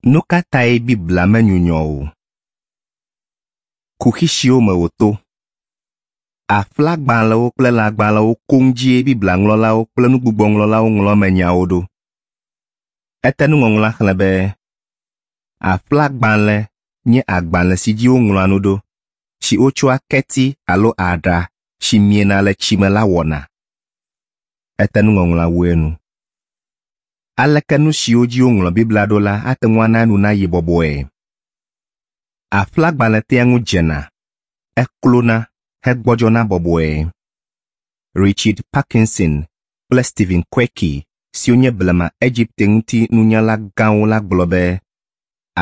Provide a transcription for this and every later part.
Nu ka tae Biblia menyunyɔ o? Kuxi siwo me wòto. Aƒlagbalẽwo kple lãgbalẽwo koŋ dzie Biblia ŋlɔlawo kple nugbugbɔŋlɔlawo ŋlɔ emenyawo ɖo. Ete nuŋɔŋlɔa xlẽ be, Aƒlagbalẽ nye agbalẽ si dzi woŋlɔa nu ɖo, si wotsɔa keti alo aɖa si miena le tsi me la wɔna. Ete nuŋɔŋlɔa wu enu. Aleke nu siwo dzi woŋlɔ Biblia ɖo la ate ŋu ana enu nayi bɔbɔe? Aƒlagbalẽ tea ŋu dzena, eklona hegbɔdzɔna bɔbɔe. Richard Parkinson kple Stephen Quirke siwo nye blema Egipte ŋuti nunyala gãwo la gblɔ be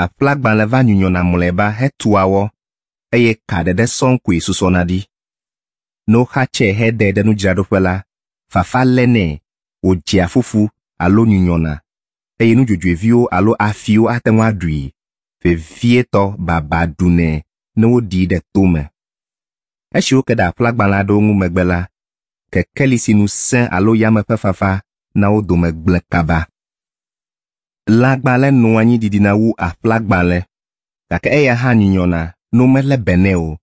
aƒlagbalẽ va nyunyɔna mlɔeba hetua wɔ eye ka ɖeɖe sɔŋ koe susɔna ɖi. Ne woxatsɛe hedae ɖe nudzraɖoƒe la, fafa lénɛ wòdzea fufu alo nyunyɔna eye nudzodzoeviwo alo afiwo ate ŋu aɖui, vevietɔ baba ɖunɛ ne woɖii ɖe to me. Esi woke ɖe aƒlagbalẽ aɖewo ŋu megbe la, kekeli si nu sẽ alo yame ƒe fafa na wo dome gblẽ kaba. Lãgbalẽ nɔa anyi didina wu aƒlagbalẽ, gake eya hã nyunyɔna ne womelé be nɛ o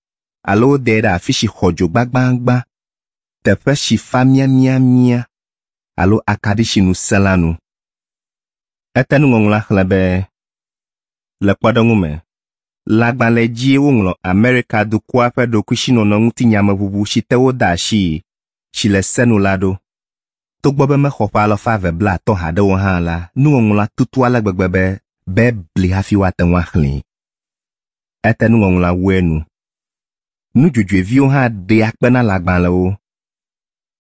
alo wodae ɖe afi si xɔ dzo gbagbagbã, teƒe si fa miamiamia alo akaɖi si nu sẽ la nu. Ete nuŋɔŋlɔa xlẽ be, Le kpɔɖeŋu me, lãgbalẽ dzie woŋlɔ Amerika dukɔa ƒe ɖokuisinɔnɔ ŋuti nyameʋuʋu si te wode asii si le se nu la ɖo. Togbɔ be mexɔ ƒe alafa eve blaatɔ̃ haɖe o hã la, nuŋɔŋlɔa tutu ale gbegbe be bebli hafi woate ŋu axlẽe. Ete nuŋɔŋlɔa wu enu. Nudzodzoeviwo hã ɖea kpe na lãgbalẽwo.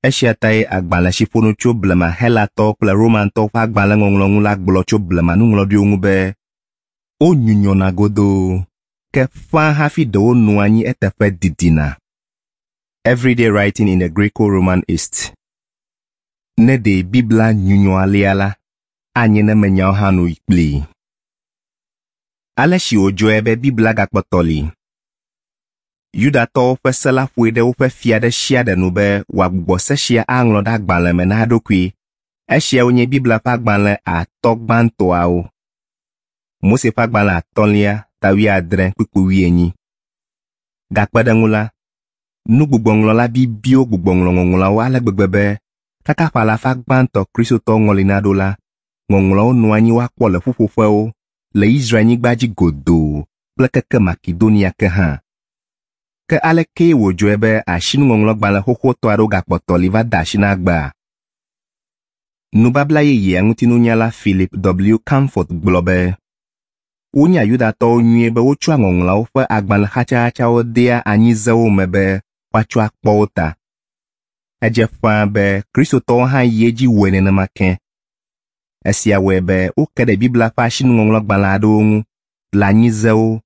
Esia tae agbalẽ si ƒo nu tso blema Helatɔwo kple Romantɔwo ƒe agbalẽŋɔŋlɔ ŋu la gblɔ tso blema nuŋlɔɖiwo ŋu be, Wonyunyɔna godoo, ke ƒãa hafi ɖewo nɔa anyi eteƒe didina. Everyday Writing in the Graeco-Roman East. Ne ɖee Biblia nyunyɔ alea la, anye ne menyawo hã nu yi kplii. Ale si wòdzɔe be Biblia gakpɔtɔ li. Yudatɔwo ƒe se la ƒoe ɖe woƒe fia ɖe sia ɖe nu be wòagbugbɔ se sia aŋlɔ ɖe agbalẽ me na eɖokui. Esiawo nye Biblia ƒe agbalẽ atɔ̃ gbãtɔawo. Mose ƒe agbalẽ atɔ̃lia ta wuiadre kpukpui wuienyi. Gakpe ɖe eŋu la, nugbugbɔŋlɔla bibiwo gbugbɔ ŋlɔ ŋɔŋlɔawo ale gbegbe be kaka ƒe alafa gbãtɔ Kristotɔwo ŋɔli naɖo la, ŋɔŋlɔawo nɔ anyi woakpɔ le ƒuƒoƒewo le Israel-nyigba dzi godoo kple keke Makedonia ke hã. Ke alekee wòdzɔe be asinuŋɔŋlɔgbalẽ xoxotɔ aɖewo gakpɔtɔ li va de asi na egbea? Nubabla Yeyea ŋutinunyala Philip W. Comfort gblɔ be, Wonya Yudatɔwo nyuie be wotsɔa Ŋɔŋlɔawo ƒe agbalẽ xatsaxatsawo dea anyizewo me be woatsɔ akpɔ wo ta. Edze ƒãa be Kristotɔwo hã yi edzi wɔe nenema ke. Esia wɔe be woke ɖe Biblia ƒe asinuŋɔŋlɔgbalẽ aɖewo ŋu le anyizewo,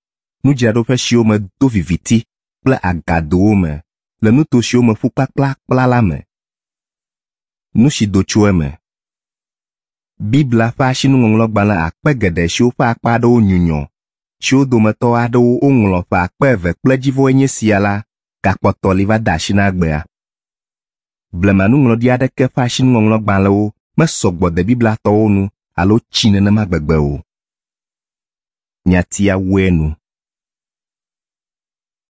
nudzraɖoƒe siwo me do viviti kple agadowo me le nuto siwo me ƒu kplakplakpla la me. Nu si do tso eme. Biblia ƒe asinuŋɔŋlɔgbalẽ akpe geɖe siwo ƒe akpa aɖewo nyunyɔ, siwo dometɔ aɖewo woŋlɔ ƒe akpe eve kple edzivɔe nye esia la gakpɔtɔ li va de asi na egbea. Blemanuŋlɔɖi aɖeke ƒe asinuŋɔŋlɔgbalẽwo mesɔ gbɔ de Bibliatɔwo nu alo tsi nenema gbegbe o. Nyatia wu enu.